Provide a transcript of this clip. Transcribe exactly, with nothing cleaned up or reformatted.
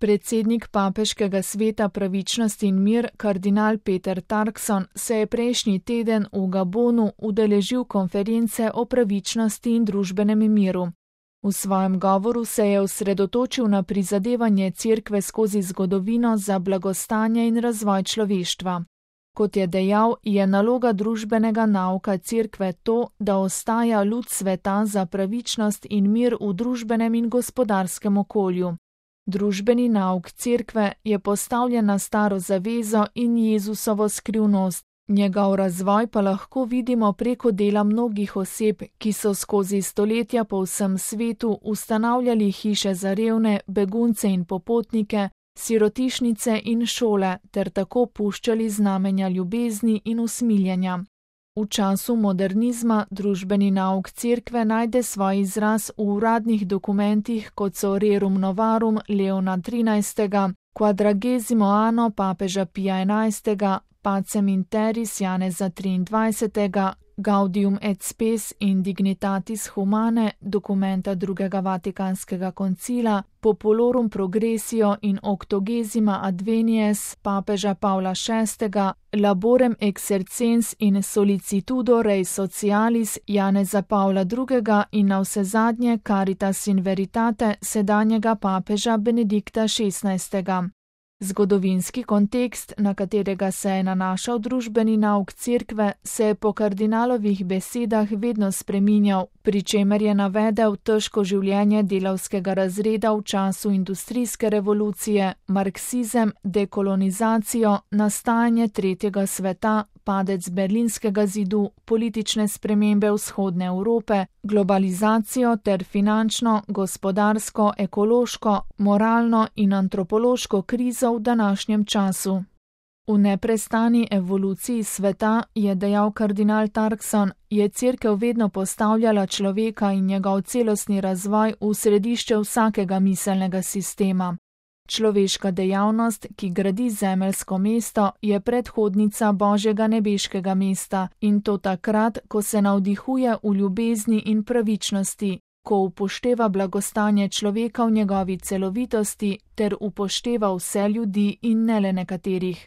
Predsednik Papeškega sveta pravičnost in mir, kardinal Peter Turkson, se je prejšnji teden v Gabonu udeležil konference o pravičnosti in družbenem miru. V svojem govoru se je osredotočil na prizadevanje Cerkve skozi zgodovino za blagostanje in razvoj človeštva. Kot je dejal, je naloga družbenega nauka Cerkve to, da ostaja luč sveta za pravičnost in mir v družbenem in gospodarskem okolju. Družbeni nauk Cerkve je postavljen na staro zavezo in Jezusovo skrivnost, njegov razvoj pa lahko vidimo preko dela mnogih oseb, ki so skozi stoletja po vsem svetu ustanavljali hiše za revne, begunce in popotnike, sirotišnice in šole ter tako puščali znamenja ljubezni in usmiljenja. V času modernizma družbeni nauk Cerkve najde svoj izraz v uradnih dokumentih, kot so Rerum Novarum Leona trinajstega, Quadragesimo anno papeža Pija enajstega, Pacem in Terris Janeza triindvajsetega, Gaudium et Spes in Dignitatis Humanae dokumenta drugega Vatikanskega koncila, Populorum Progressio in Octogesima Advenies papeža Pavla šestega, Laborem Exercens in Solicitudo Rei Socialis Janeza Pavla drugega in navsezadnje Caritas in Veritate sedanjega papeža Benedikta šestnajstega. Zgodovinski kontekst, na katerega se je nanašal družbeni nauk Cerkve, se je po kardinalovih besedah vedno spreminjal, pri čemer je navedel težko življenje delavskega razreda v času industrijske revolucije, marksizem, dekolonizacijo, nastajanje tretjega sveta, padec berlinskega zidu, politične spremembe vzhodne Evrope, globalizacijo ter finančno, gospodarsko, ekološko, moralno in antropološko krizo v današnjem času. V neprestani evoluciji sveta, je dejal kardinal Turkson, je Cerkev vedno postavljala človeka in njegov celostni razvoj v središče vsakega miselnega sistema. Človeška dejavnost, ki gradi zemeljsko mesto, je predhodnica Božjega nebeškega mesta in to takrat, ko se navdihuje v ljubezni in pravičnosti, ko upošteva blagostanje človeka v njegovi celovitosti ter upošteva vse ljudi in ne le nekaterih.